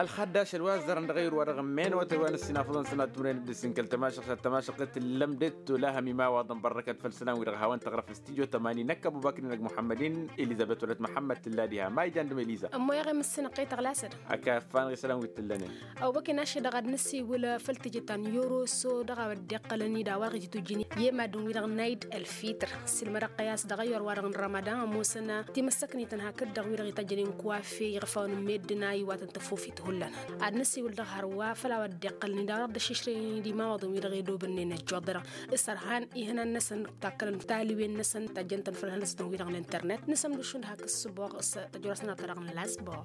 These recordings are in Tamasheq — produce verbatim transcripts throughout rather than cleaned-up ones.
Ălxaddaš ălwazărăn dăɣ-ayǝr wa dăɣ-ămmenăwătăn wa n-ǝssin afǝḍăn sănat tumrăyăn dd-ǝssin kăl-tămašăɣt ad-tămašăɣt tǝllăm d-dd-tolahăm imawaḍăn bărrăkăt făll-isălan wi-dăɣ hawăn-tăɣrăf studio tămani năkk ăbubakr inăg muḥămmăd-in elizăbet wălăt muḥămmăd tǝlla diha ma ijan dăm eliza. Ămmoyăɣ i-mǝssinăɣ-t i-tăɣlasăd. Ăkafan ɣisălan wi t-tǝllănen. Ăwbăken ašăl dăɣ-ad-nǝsiwǝl făll-tijǝt ta n-yoroso dăɣ-a-wa dd-iqqălăn-dd a-wa dăɣ-ititujjǝn i-e-maddǝn-wi-dăɣ n-ayd ălfitr. Sǝlmădăɣ-t i-a-s dăɣ-ayyor-wa-dăɣ n-rămădan ămoosăn timǝssăknităn hakd-dăɣ wi-dăɣ itajjănen kuwafe iɣăfawăn n-meddǝn a iwatăn tăfufit hullan. Ad-nǝsiwǝl dăɣ-hărwa făll-a-wa dd-iqqălăn-dd a-wa dăɣ-dd-ăššǝšrăyăn d-imawaḍăn wi-dăɣ edobănnen ăjjoḍărăɣ s-ărhan ihănan-năsăn takkălăn talǝwen-năsăn tajjăn-tăn făll-ihănăsnătăn wi-dăɣ n-internet. Nǝsămdǝššǝn d-hak ǝssǝboɣ s-tăjrosnăt-ta-dăɣ n-lasboɣ.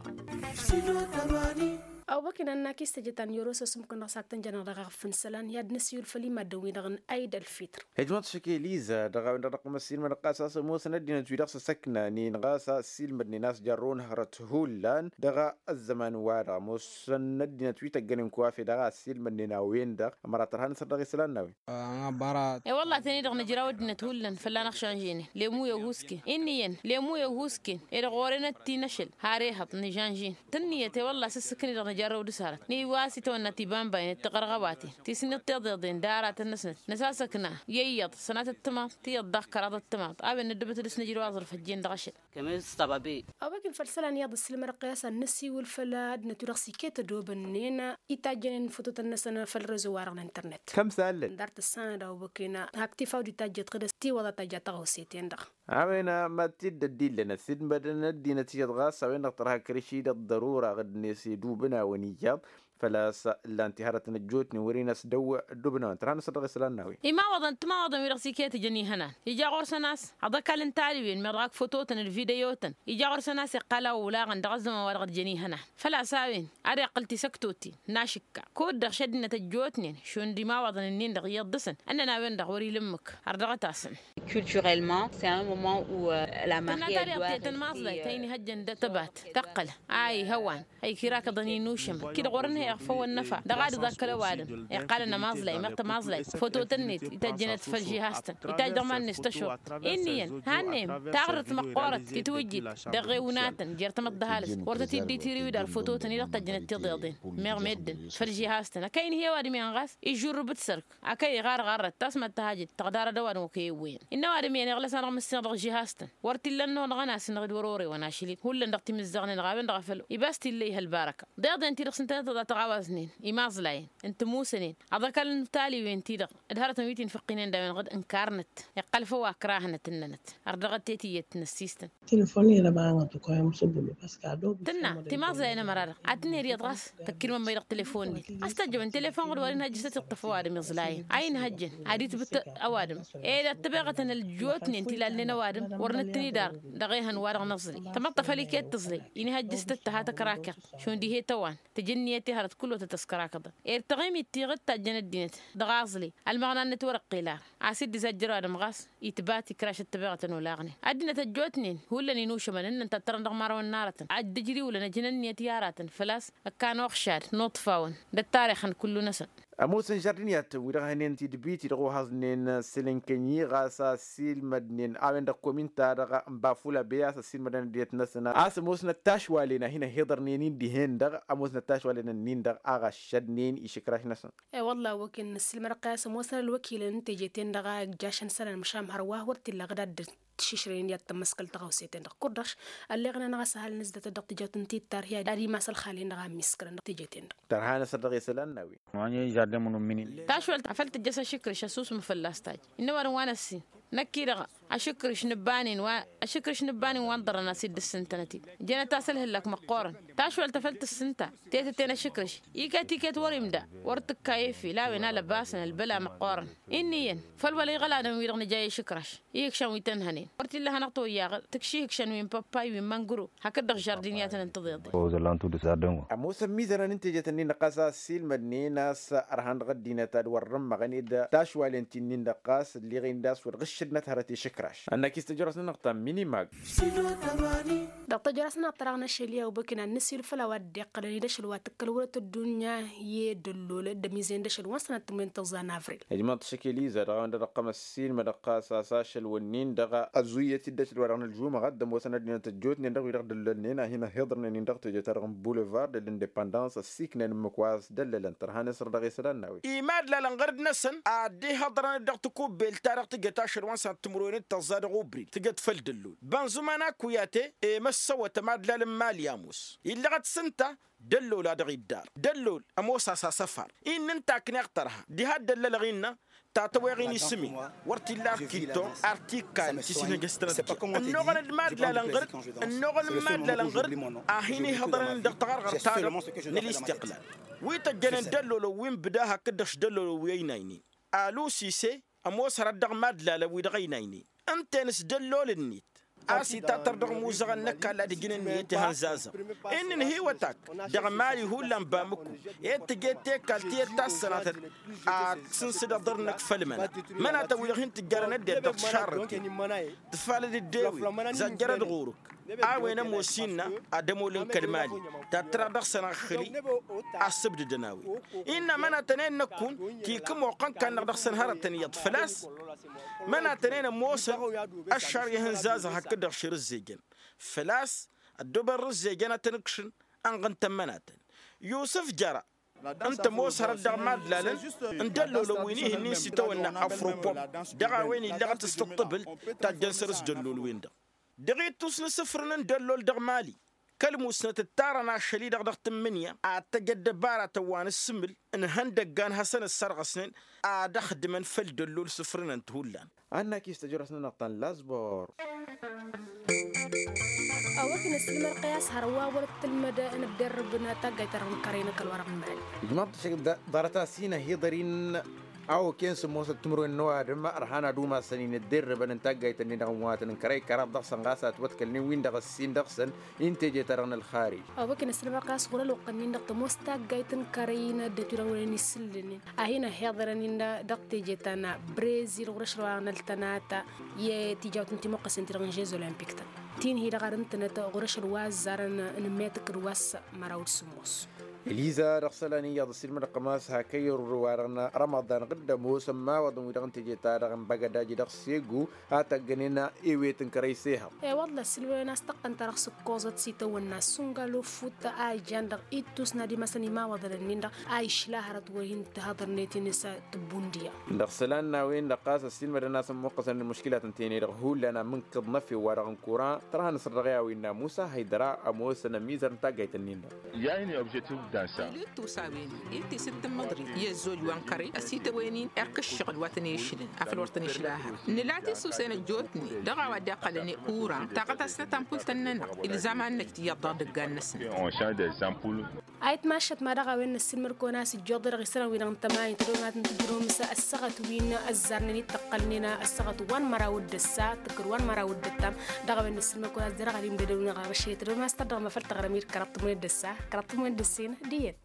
Ăwbăken ad-nakis tejăt ta n-yoroso s-ǝmmǝkăn dăɣ-s hak tăn-jănăɣ dăɣ-aɣǝf n-isălan i-ad-nǝsiwǝl făll-imaddǝn-wi-dăɣ n-ayd ălfitr. Ijmăḍ šăk eliza dăɣ-a-wen-dăɣ dăɣ-măssin mănăɣ ɣas a-s ămoosăn ăddinăt-wi-dăɣ s-ăsăkna-nin ɣas a ăssiilmădnen a-s jarrăwăn hărăt hullan dăɣ-ăzzăman-wa-dăɣ ămoosăn ăddinăt wi tăggănen kuwafe dăɣ-a ăssiilmădnen a-wen-dăɣ. Ămăra tărha n-asăr dăɣ-isălan n-a-wen. E-wălla-ten-i-dăɣ nǝjraw ăddinăt hullan fălla-năɣ šanženen. Lemu i-ăhuusken inn'-iyyăn lemu i-ăhuusken. Ed ɣur-enăt ti n-ašăl har ehăḍ nǝžanžen tǝnniyăt i-wălla s-ǝssǝkǝn-i-dăɣ nǝjarrăw d-asarăt n-iwa a-s itawănna tibambay n-ǝttăɣărɣăwaten ti s-iniḍ tiḍeḍen d-aratăn-năsnăt năsasăkna i-iyyăḍ sănatăt timaḍt tiyyăḍ daɣ kăraḍăt timaḍt a-wen nǝddǝbăt d-asnǝjrǝw aẓrǝf ăjjeen dăɣ-ašăl. Kămez s-tăbăbe. Ăwwăken făll-isălan iyyăḍ ǝssilmădăɣ-t i-a-s ad-nǝsiwǝl făll-ăddinăt wi-dăɣ s-iket ădobănnen itajjănen fototăn-năsăn făll-rezo-wa-dăɣ n-internet. Kăm s-allăn. Dar tǝssanăd ăwwăken hak tifaw d-itajjăt ɣǝd-s tiwăḍa tajja tăɣawse-ten-dăɣ. A-wen ma t-dd-ăddillăn ăsidmădăn ăddinăt iyyăḍ ɣas a-wen-dăɣ tărha kăr-iši d-ăḍḍărura ɣǝd-net edubǝn-awăn iyyăḍ. Făl-a-s ǝllan-t iharătăn ăjjootnen wăr-in-ăsdăw ăddubǝn-awăn tărha n-asăr dăɣ-isălan n-a-wen. Imawăḍăn timawaḍăn-wi-dăɣ s-iket ijăn ihănan ija ɣur-săn a-s aḍăkal n-taliwen meɣ dăɣ-ak fototăn d-videotăn ija ɣur-săn a-s iqqal a olaɣăn dăɣ-ăzzăman-wa-dăɣ dd-jăn ihănan. Făl-a-s a-wen ad-iqqǝl tisăktoten n-ašǝkka kud-dăɣ šăddinăt ăjjootnen šund imawăḍăn-nin-dăɣ iyyăḍ dăɣ-săn ǝnnăn a-wen-dăɣ wăr-ila ǝmmǝk har dăɣ-tasăn. Culturellement c'est un moment où la mariye tănna tariɣt i-tăn maẓlayt a inihăjjăn d-tăbat tăqqăl a ihăwan a ikirakkăḍăn inušămăn kid-ɣur-ănhăyăɣ făw ănnăfa dăɣ-ad-iḍakkăl ăwadǝm iqqalăn ămaẓlay meɣ tămaẓlayt fototăn-net itajjănăt făll-žihaz-tăn itajj dăɣ-iman-net tăšuḍt. Inn'-iyyăn hannăyăm taɣrǝrt măqqoorăt titwǝjjit dăɣ-ewnatăn jer-tamăḍt d-ăhalǝs wăr tăt-dd-itirǝw idar fototăn-i-dăɣ tajjănăt tiḍeḍen meɣ meddǝn făll-žihaz-tăn ăkăy ǝnhǝy ăwadǝm iyyăn ɣas ižžurrǝb d-sărk. Ăkăy iɣarɣarrăt tasmăt tăhajăt tăɣdarăd ăwadǝm okăy ewwăyăn innă ăwadǝm iyyăn iɣlăs-anăɣ mǝssin dăɣ-žihaz-tăn wăr t-illa ănnuɣ dăɣ-ănasǝnneɣ d-wăr-orewăn ašăl-in hullan dăɣ-timǝzzaɣnen dăɣ-a-wen-dăɣ a făl ibas t-illa ih' ălbarăka. Deḍen-ti-dăɣ s-ǝntăneḍ a tăɣawaznen imaẓlayen n-tămusănen aḍăkal n-taliwen-ti-dăɣ d-hărătăn wi t-infăqqinen d-a-wen-dăɣ d-ǝnkarnăt iqqăl făw akrahănăt ǝnnănăt. Ărdăɣăt tetǝyyăt n-ăssistăn. Tǝnna timaẓlayen ămăra-dăɣ ad-tǝnhăy d-iyyăḍ ɣas tăkkilmămmăy dăɣ-telefon-net a-s tăjjăwăn telefon ɣur-wăr inhăjj s-tăt-iṭṭăf ăwadǝm iẓlayăn a inhăjjăn ad-itbǝt ăwadǝm ed ăttăbeɣătăn ăljuwătnen ti lalnen ăwadǝm wăr nǝttǝn-idarăn dăɣ-ehăn wa dăɣ-năẓli. Tamăḍt a făl iket tǝẓli inhăjj s-tăt-tăha tăkrakăḍ šund ih'-e tăwan tǝjǝnniyăt i-hărăt kullu tăt-ăskrakăḍăn. Ed taɣimit tiɣǝd tajjăn ăddinăt dăɣ-aẓli ălmăɣna-net wăr-ăqqel ar a-s dd-izajjăr ăwadǝm ɣas itbat ikraš ăttăbeɣătăn olaɣnen ăddinăt ăjjootnen hullan inušămăn ǝnnăn tattărăn dăɣ-imărawăn n-arătăn ad-dd-ǝjriwǝlăn ăjǝn ǝnniyăt i-aratăn făl-a-s ăkkan uɣšad n-uḍfawăn d-ăttarix n-kullu-năsăn. Ămoosăn žardiniyatăn wi-dăɣ hănen tidbit-i-dăɣ ohăẓnen sălǝnkănyi ɣas a ăssiilmădnen a-wen-dăɣ kominta-dăɣ n-bafula bey a-s ăssiilmădnen ăddinăt-năsăn a-s ămoosnăt tašwalen a hin-ăhiḍărnen-in dihen-dăɣ ămoosnăt tašwalen-nin-dăɣ a ɣăššădnen išǝkraš-năsăn. E-wălla a-wa ăkk-innă ǝssilmădăɣ-t i-a-s ămoosăn ălwăkilăn n-teje-ten-dăɣ a ǝjjašăn isălan măšan hărwa wăr t-illa ɣǝd ad-dd-tǝššǝšrăyăn i-ad-tămmăskăl tăɣawse-ten-dăɣ kud-dăɣ ălleɣnen ɣas ăhalăn ǝzdatăt dăɣ-tijawt n-tittar hi-ad-imas ălxalen-dăɣ a ămmiskălăn dăɣ-teje-ten-dăɣ. Tărha n-asăr dăɣ-isălan n-a-wen. Tašwălt a făl tǝjjăs ašǝkrǝš ăsusǝm fălla-s tajj innă ăwadǝm wa n-ăssin năkk-i-dăɣ ašǝkrǝš n-ǝbbanen wa ašǝkrǝš n-ǝbbanen wa n-ḍărrăn a-s dd-ǝssǝntănăt-dd ǝjănăt-as ălhǝllak măqqoorăn. Tašwălt a făl tǝssǝnta tetăt-en ašǝkrǝš iket iket wăr-imda wăr tǝkka efil a-wen alăbasăn ălbăla măqqoorăn. Inn'-iyyăn făl wăla iɣăl adǝm-wi-dăɣ nǝja i-ašǝkrǝš ihǝkšăn wi tăn-hănen wăr t-illa hanăɣ-toyyaɣ tǝkši ihǝkšăn wi n-păppay wi n-măngro hakd-dăɣ žardiniyatăn n-tiḍeḍen. Ămoosăn imizănăn n-tejet-nin-dăɣ ɣas a ăssiilmădnen a-s ărhan dăɣ-ăddinăt ad-wăr-ămmăɣăn ed tašwalen ti-nin-dăɣ ɣas ălleɣen d-a-s wăr-ɣǝššăn. Năt hărăt išǝkraš ănnăk-i s-tăjrăs-nănăɣ ta minimag. Dăɣ-tăjrăs-nănăɣ tăraɣ n-ašăl i-a ubăkina n-nǝsil făll-a-wa dd-iqqălăn i-dăšăl wa tǝkkăl wăr-ătăddunya i-dăllol d-ămizen dăšăl wa n-sănăt tǝmwen tăẓẓa n-avril. Ijmăḍ tăšăkel iza dăɣ-a-wen-dăɣ ăqqăm ăssin mădăɣ ɣas a-s ašăl wănnin dăɣ-a ăzzuyyăt-dd ašăl wa dăɣ-nălžumăɣăt d-ămoosăn ăddinăt ăjjootnen dăɣ-wi-dăɣ dăllălnen a hin-ăhhiḍărnen-in dăɣ-teje-ta-dăɣ n-bulevard de l-independans ăssiiknen ǝmmǝk wa s-dăllălăn tărha n-esăr dăɣ-e isălan n-a-wen. Imadlalăn ɣăr-năsăn a dd-ihăḍrăn-dd dăɣ-tikubbelt ta dăɣ-tǝjăt ašăl wa n-sănăt timǝrwen d-tăẓẓa dăɣ-ubrid tǝjăt făll-dăllol bănzǝman akuyate. I-măssăwăt ămadlal n-mali ămoos illăɣăt s-ǝnta dăllol a dăɣ-iddar dăllol ămoos a-s asăfar. Innă ǝnta a ǝkneɣ tărha diha dd-ăllălăɣ innă tatăweɣ-in isǝm-in wăr t-illa ar t-ittoɣ ar t-ikkan tisǝnhăjăstănăt. Ănnuɣăn d-imadlalăn ɣăr-dd ănnuɣăn n-imadlalăn ɣăr-dd a hin-ihăḍrăn-in dăɣ-taɣărɣărt-ta-dăɣ n-ălistiqlal wi tăjjănen dăllolăn wi n-bǝda hakd-dăɣ s-dăllolăn wi ăynaynen. Alusise ămoos hărăt dăɣ-imadlalăn wi dăɣ-ăynaynen ǝnta-en s-dăllol-net a-s itatăr dăɣ-imuzăɣăn n-ăkall ad-ǝjǝn ǝnniyăt ihănzazăɣ. Inn' ǝnhǝywăt-ak dăɣ-mali hullan bamǝkku ed tǝjet tekalt tiyyăt ta s-sănatăt ad-sǝnsǝd aḍăr-năk făll-măna. Mănatăn-wi-dăɣ hin-tǝjjărăn ăddinăt dăɣ-tišarrăten tǝfalăd dd-e-wen zajjărăd ɣur-ǝk a-wen ămoos innă ad-ămolăn kăl-mali tattăra dăɣ-săn aɣhǝli. Assǝbdǝdăn a-wen innă mănatăn-en năkkun tikǝmoqqăn kannăɣ dăɣ-săn hărătăn iyyăḍ făl-a-s mănatăn-en ămoosăn ăššar i-ihǝnzazăɣ hakd-dăɣ širǝzzejăn făl-a-s ăddobăn rǝzzejăn ad-tăn-ǝkšǝn. Ănɣǝntăn mănatăn yusǝf jăra ǝnta ămoos hărăt dăɣ-imadlalăn n-dăllolăn wi n-ihǝnnin s-itawănna afropop dăɣ-a-wen illăɣăt s-tǝṭṭǝbǝl tajjăn săr-s dăllol-win-dăɣ. Dăɣ-ittus n-asǝfrǝn n-dăllol dăɣ-mali kăl-musnăt ǝttarăn ašăl-i-dăɣ dăɣ-tǝmmǝnǝya ad-tăj ăddăbaratăn wa n-ǝssǝmǝl n-ihăndăggan hasăn-ǝssărɣăsnen ad-ăxdǝmăn făll-dăllol sǝfrǝnăn-t hullan. Ad-năkis tăjrăs-nănăɣ ta n-lazbor. Awăkǝn ăssilmălqăy a-s hărwa wăr-ăttălmăd n-ădderrǝb n-taggayt-ta-dăɣ n-kărăy n-ăkall wa-dăɣ n-mali. Ijmaḍ tăšăk ḍarăt a-s hin-ăhiḍăr-in a okăyăn sǝmmosăt timǝrwen n-ăwadǝm ărhan ad-umasăn-in ădderrǝbăn n-taggayt-ǝnnin-dăɣ n-wa tăn-ǝnkărăy kăraḍ dăɣ-săn ɣas a ătwăḍkălnen-win-dăɣ ăssin dăɣ-săn i n-teje-ta-dăɣ n-ălxarij. Awăkǝn ăssilmălqăy a-s ɣur-ălwăqq-ǝnnin-dăɣ tămoos taggayt n-kărăy n-ăddinăt wi-dăɣ wăren isǝllǝnen a hin-ăhiḍărăn-in dăɣ-teje ta n-brezil ɣur-ašăl wa n-ăltănata i-tijawt n-timuqqăsen-ti-dăɣ n-žez olimpik-tăn ti n-hi-dăɣ ar ǝntănăt ɣur-ašăl wa ăzzarăn n-metăk d-wa s-măraw d-sǝmmos. Eliza dăɣ-isălan iyyăḍ ăssiilmădăɣ kămas hak ăyyăr wa-dăɣ n-rămăḍan ɣǝddăm osăn imawaḍăn wi-dăɣ n-teje-ta-dăɣ n-băgădaj dăɣ-segu a tăggănen ewet n-kărăy s-ehăḍ. I-wălla ăssiilmădăn a-s tăqqăn-ta-dăɣ s-ǝkkoẓăt s-itawănna sungal ofut a ijan dăɣ-ittus n-ad-imasăn imawaḍăn-ǝnnin-dăɣ a išla hărăt wăr hin-tihăḍărnet-in s-tǝbbundiya. Dăɣ-isălan n-a-wen-dăɣ ɣas ăssiilmădăn a-s ămmuqqăsăn d-muškilat ǝnta-en-i-dăɣ hullan amǝnkǝḍ n-efew wa-dăɣ n-kuran tărha n-asăr dăɣ-i a-wen n-amusa hăydăra ămoosăn ămizăr n-taggayt-ǝnnin-dăɣ. Ija hin-i objektif dansa. Ila ittus a-wen i-tisǝt tǝmmǝḍrit i-ăzzoj wa n-kărăy ăsitawăyăn-in erk ǝššăɣǝl wa tăn-ešǝlăn afăl wăr tăn-išla hărăt nǝla tisusen ăjjootnen dăɣ-a-wa dd-iqqălăn i-kuran taɣăt a-s nătampult ănnănăɣ ilzam ad-năj tiyyăḍ dăɣ-idǝggan-năsnăt. A itmašăt ma dăɣ-a-wen năssiilmăd-kăwăn a-s ǝjjoḍ-i-dăɣ isălan-wi-dăɣ n-tămani tădonat n-tǝjrǝwăm s-ăssaɣăt wi n-ăzzarnen i-dd-tăqqălnen ăssaɣăt wa n-măraw d-ăssa tǝkkǝd wa n-măraw d-ăttam. Dăɣ-a-wen năssiilmăd-kăwăn a-s derɣ ad-imdădăwăn ɣer ašăl i-tădonat s-tărdăɣ măfăl tăɣrăm-i d-kăraḍ tǝmwen d-ăssa kăraḍ tǝmwen d-ăssin d-iyyăn.